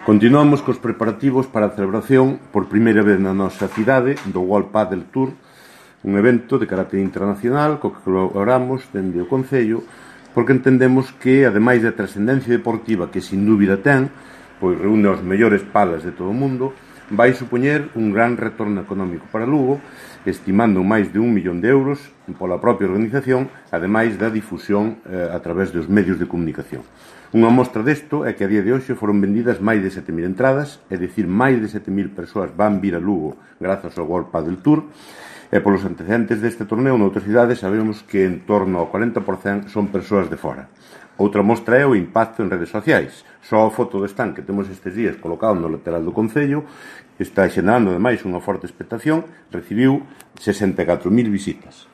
Continuamos cos preparativos para a celebración por primeira vez na nosa cidade do World Padel Tour, un evento de carácter internacional co que colaboramos dende o Concello, porque entendemos que, ademais da trascendencia deportiva que sin dúbida ten, pois reúne os mellores palas de todo o mundo, vai supoñer un gran retorno económico para Lugo, estimando máis de 1 millón de euros pola propia organización, ademais da difusión a través dos medios de comunicación. Unha mostra desto é que a día de hoxe foron vendidas máis de 7.000 entradas, é dicir, máis de 7.000 persoas van vir a Lugo grazas ao World Padel Tour, e polos antecedentes deste torneo noutras cidades sabemos que en torno ao 40% son persoas de fora. Outra mostra é o impacto en redes sociais. Só a foto do stand que temos estes días colocado no lateral do Concello, que está xerando ademais unha forte expectación, recibiu 64.000 visitas.